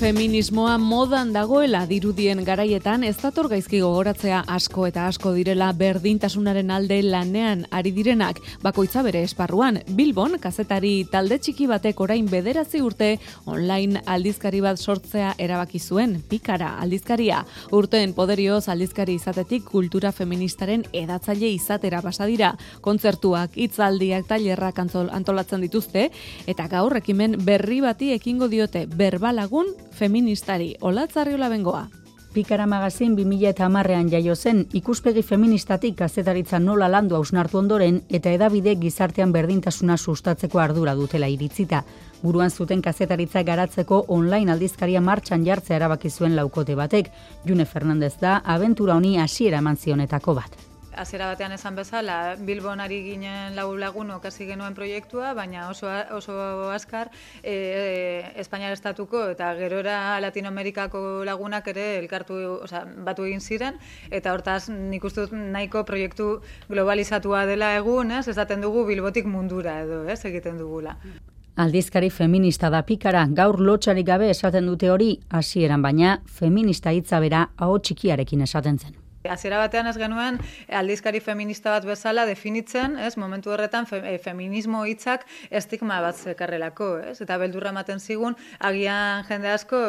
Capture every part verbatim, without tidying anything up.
Feminismoa modan dagoela dirudien garaietan ez dator gaizki gogoratzea asko eta asko direla berdintasunaren alde lanean ari direnak, bakoitza bere esparruan. Bilbon, kazetari talde txiki batek orain bederatzi urte online aldizkari bat sortzea erabaki zuen, Pikara aldizkaria. Urteen poderioz aldizkari izatetik kultura feministaren edatzaile izatera pasa dira. Kontzertuak, hitzaldiak, tailerrak antolatzen dituzte, eta gaur ekimen berri bati ekingo diote berbalagun feministari. Olatz Arriola Bengoa. Pikara magazin bi mila hamarrean jaio zen, ikuspegi feministatik kazetaritza nola landu hausnartu ondoren eta hedabide gizartean berdintasuna sustatzeko ardura dutela iritzita. Buruan zuten kazetaritza garatzeko online aldizkaria martxan jartzea erabaki zuen laukote batek. June Fernandez da abentura honi hasiera eman zionetako bat. Hasiera batean esan bezala, Bilbon ari ginen lau lagunok hasi genuen proiektua, baina oso, oso azkar e, e, Espainiar estatuko eta gerora Latinoamerikako lagunak ere elkartu, osea, batu egin ziren, eta hortaz nik uste dut nahiko proiektu globalizatua dela egun, ez, esaten dugu Bilbotik mundura edo, ez, egiten dugula. Aldizkari feminista da Pikara, gaur lotsarik gabe esaten dute hori, hasieran baina feminista hitza bera aho txikiarekin esaten zen. Hasiera batean ez genuen aldizkari feminista bat bezala definitzen, ez, momentu horretan fe, feminismo hitzak estigma bat zekarrelako, ez, eta beldurra ematen zigun, agian jende asko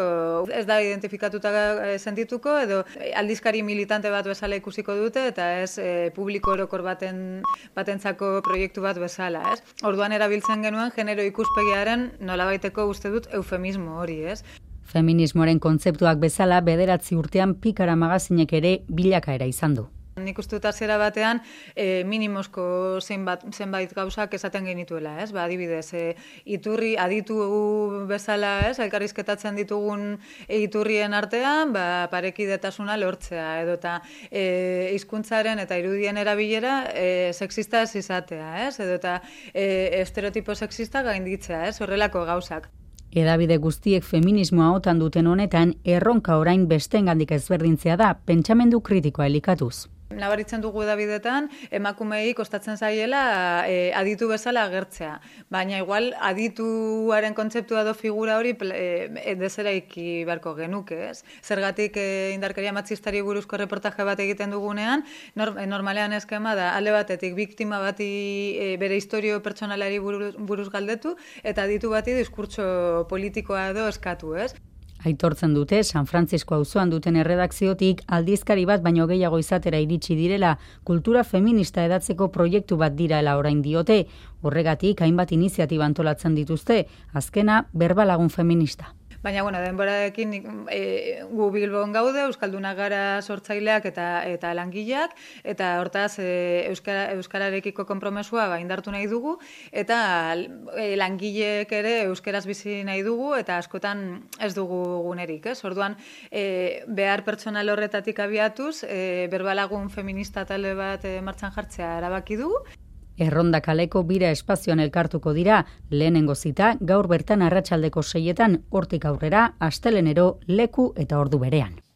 ez da identifikatuta sentituko, edo aldizkari militante bat bezala ikusiko dute, eta ez e, publiko orokor baten batentzako proiektu bat bezala, ez. Orduan erabiltzen genuen genero ikuspegiaren nolabaiteko uste dut eufemismo hori, ez. Feminismoaren kontzeptuak bezala bederatzi urtean Pikara magazinek ere bilakaera izan du. Nik uste dut hasiera batean e, minimozko zenbait, zenbait gauzak esaten genituela, ez? Ba, adibidez, e, iturri aditu bezala, ez? Elkarrizketatzen ditugun iturrien artean, ba, parekidetasuna lortzea, edo eta e, hizkuntzaren eta irudien erabilera e, sexista ez izatea, ez? Edo eta e, estereotipo sexista gainditzea, ez? Horrelako gauzak. Hedabide guztiek feminismoa otan duten honetan, erronka orain besteengandik ezberdintzea da, pentsamendu kritikoa elikatuz. Nabaritzen dugu edabidetan, emakumeei kostatzen zaiela e, aditu bezala agertzea. Baina igual adituaren kontzeptua edo figura hori e, dezeraiki beharko genuke, ez? Zergatik e, indarkeria matxistari buruzko reportaje bat egiten dugunean, nor, normalean eskema da, alde batetik biktima bati e, bere historio pertsonalari buruz, buruz galdetu, eta aditu bati diskurtso politikoa edo eskatu, ez? Aitortzen dute, San Francisco auzoan duten erredakziotik aldizkari bat baino gehiago izatera iritsi direla, kultura feminista edatzeko proiektu bat direla orain diote, horregatik hainbat iniziatiba antolatzen dituzte, azkena berbalagun feminista. Baina, bueno, denborarekin e, gu Bilbon gaude, Euskalduna gara sortzaileak eta eta langileak, eta hortaz e, Euskara, Euskararekiko konpromesua ba, indartu nahi dugu, eta e, langileek ere Euskaraz bizi nahi dugu, eta askotan ez dugu gunerik, ez? Orduan, e, behar pertsonal horretatik abiatuz, e, berbalagun feminista talde bat e, martxan jartzea erabaki dugu. Erronda kaleko bira espazioan elkartuko dira, lehenengo zita gaur bertan arratsaldeko seietan, hortik aurrera, astelehenero leku eta ordu berean.